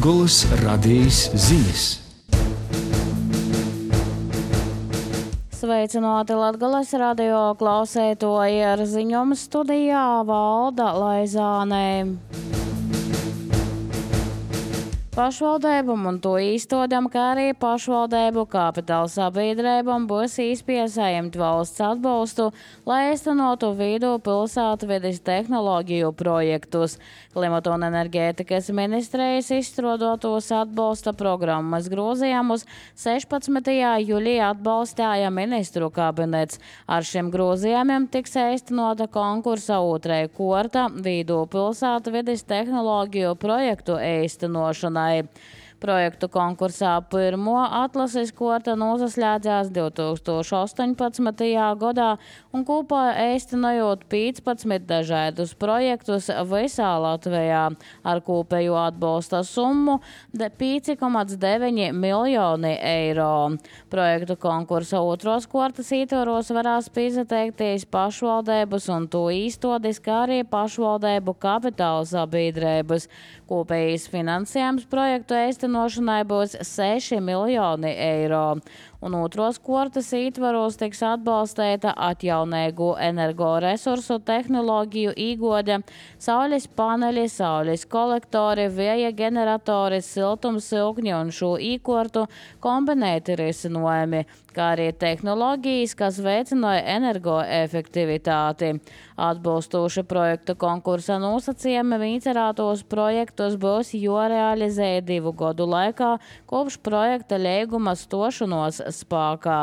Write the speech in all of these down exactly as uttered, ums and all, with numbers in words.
Latgolas radijas ziņas. Sveicināti Latgolas radio klausētoji, ar ziņojumu studijā Valda Laizāne. Pašvaldībam un to īstodam, kā arī pašvaldību kapitāla sabiedrībam būs izpiesaņemt valsts atbalstu, lai īstenotu vidu pilsētvides tehnoloģiju projektus. Klimata un enerģētikas ministrijas izstrādātos atbalsta programmas grozījumus sešpadsmitajā jūlijā atbalstīja ministru kabinets. Ar šiem grozījumiem tiks īstenota konkursa otrajā kārta vidu pilsētvides tehnoloģiju projektu īstenošanai. Projektu konkursā pirmo atlases kārta noslēdzās divi tūkstoši astoņpadsmitajā gadā un kopā īstenojot piecpadsmit dažādus projektus visā Latvijā ar kopējo atbalsta summu pieci komats deviņi miljoni eiro. Projektu konkursa otros kārtas ietvaros varēs pieteikties pašvaldības un to īstodis, kā arī pašvaldību kapitāla sabiedrības. Kopējais finansējums projektu īstenošanai būs seši miljoni eiro. Un otros kārtas ietvaros tiks atbalstīta atjaunīgu energoresursu tehnoloģiju īgode, saules paneļi, saules kolektori, vēja generatori, siltumsilkņi un šo īkortu kombinēti risinājumi, kā arī tehnoloģijas, kas veicināja energoefektivitāti. Atbalstoši projektu konkursa nosacījumi vincerētos projektus būs jārealizē divu gadu laikā kopš projekta līguma stošanos spēkā.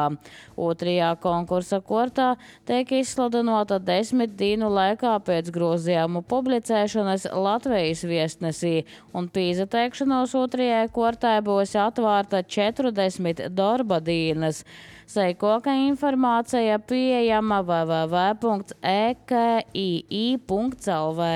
Otrajā konkursa kārtā tiek izsludinota desmit dienu laikā pēc grozījumu publicēšanas Latvijas viestnesī, un pieteikšanos otrajai kārtai būs atvērta četrdesmit darba dienas. Seikoka informācija pieejama w w w punkts e k i i punkts l v.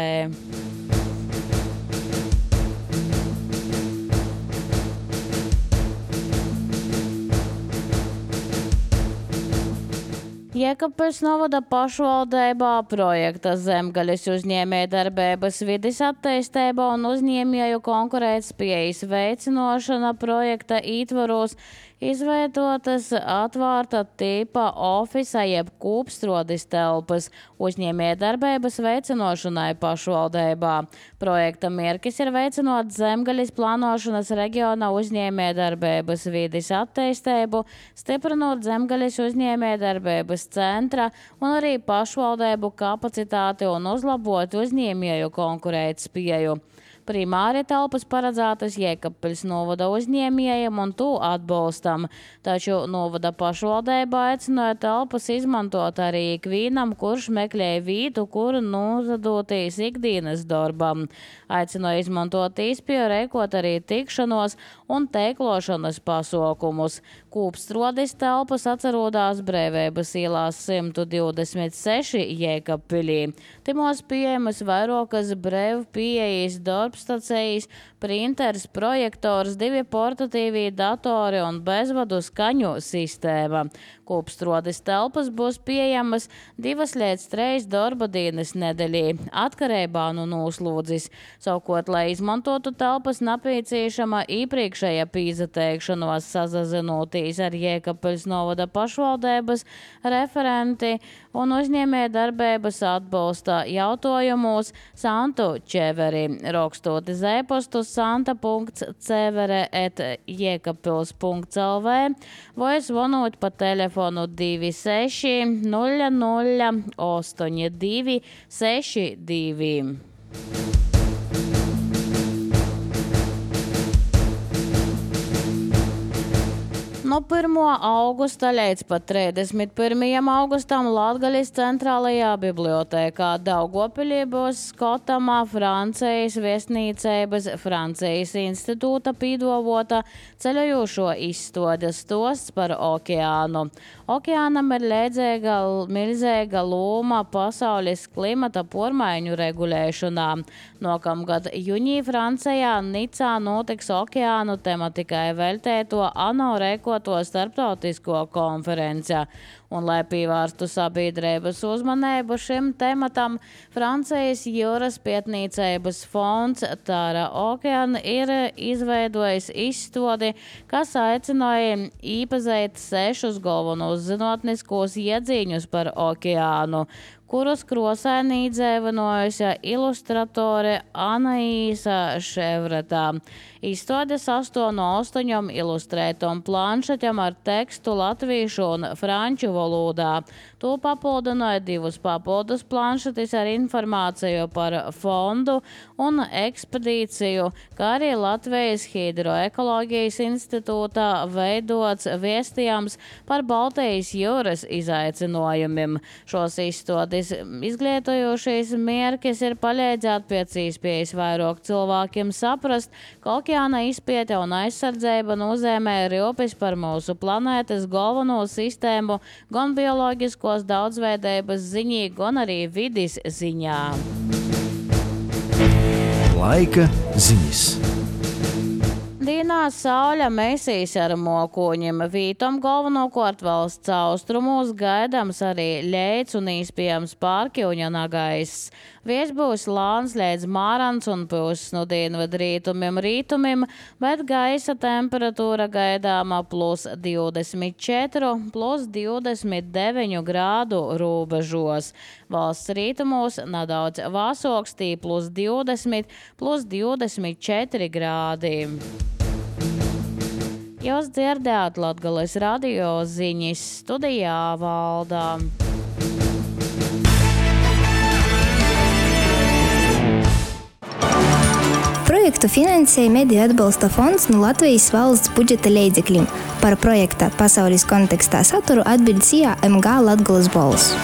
Jēkabpils novada pašvaldībā projekta Zemgaļas uzņēmējdarbības vides attīstība un uzņēmēju konkurētspējas veicinošana projekta ietvaros izveidotas atvērta tipa ofisa jeb kūpstrodis telpas uzņēmējdarbības veicinošanai pašvaldībā. Projekta mērķis ir veicinot Zemgaļas plānošanas reģiona uzņēmējdarbības vides attīstību, stiprinot Zemgaļas uzņēmējdarbības centra un arī pašvaldību kapacitāti un uzlabot uzņēmēju konkurētspēju. Primāri telpas paredzētas Jēkabpils novada uzņēmējiem un to atbalstam, taču novada pašvaldība aicināja telpas izmantot arī ikvienam, kurš meklē vietu, kur nozadoties ikdienas darbam. Aicināja izmantot īspēju rēkot arī tikšanos un teiklošanas pasaukumus. Kūpstrodis telpas atcerodās Brēvības ielās simt divdesmit seši Jēkabpilī. Timos pieejamas vairākas brēvu pieejas darbstacijas, printers, projektors, divi portatīvī datori un bezvadu skaņu sistēma. Kūpstrodis telpas būs pieejamas divas līdz trīs darba dienas nedēļā, atkarībā no noslūdzes. Savukārt, lai izmantotu telpas, nepieciešama iepriekšēja pieteikšanos sazinoties ar Jēkabpils novada pašvaldības referenti un uzņēmējdarbības atbalsta jautājumos Santu Čeveri, rakstot uz e-pastu santa punkts cevere et jēkabpils punkts l v vai zvanot pa telefonu divi seši nulle nulle astoņi divi seši divi. No pirmā augusta līdz pat trīsdesmit pirmajam augustam Latgaļas centrālajā bibliotēkā Daugavpilī būs skatāmā Francijas viesnīcības Francijas institūta pīdāvota ceļojošo izstāde stosts par okeānu. Okeānam ir līdzīga milzīga loma pasaules klimata pārmaiņu regulēšanā. Nākamgad jūnijā Francijā Nicā notiks okeānu tematikai veltēto ANO rēkoto starptautisko konferenci. Un, lai pievērstu sabiedrības uzmanību šim tematam, Francijas jūras pētniecības fonds Tara Okean ir izveidojis izstādi, kas aicināja īpazīt sešus galvenos zinātniskos iedziņus par okeānu, kurus krosēni izdzīvinājusi ilustratore Anaīsa Ševretā. Izstāde sastāv no astoņiem ilustrētām planšetēm ar tekstu latviešu un franču valodā. To papildināja divus papildus planšetes ar informāciju par fondu un ekspedīciju, kā arī Latvijas Hidroekoloģijas institūtā veidots vēstījums par Baltijas jūras izaicinājumiem. Šos izstādes izglītojošais mērķis ir palīdzēt pēc iespējas vairāk cilvēkiem saprast, ka okeāna izpēte un aizsardzība nozīmē rūpes par mūsu planētas galveno sistēmu gan bioloģiskos daudzveidības ziņā, gan arī vides ziņā. Laika ziņas. Dienā sauļa mesīs ar mokoņiem. Vītom galvenokārt valsts austrumos gaidāms arī leids un iespējams pārkļuņa nagaiss. Vies būs lāns līdz mārans un puses no dienvidu rītumiem rītumiem, bet gaisa temperatūra gaidāma plus divdesmit četri, plus divdesmit deviņi grādu robežos. Valsts rītumos nedaudz vāsoks, tī plus divdesmit, plus divdesmit četri grādi. Jūs dzirdējāt Latgales radio ziņas, studijā Valdā. Projektu finansēja Mediju atbalsta fonds no Latvijas valsts budžeta līdzekļiem. Par projekta pasaules kontekstā saturu atbild C A M G Latgales balss.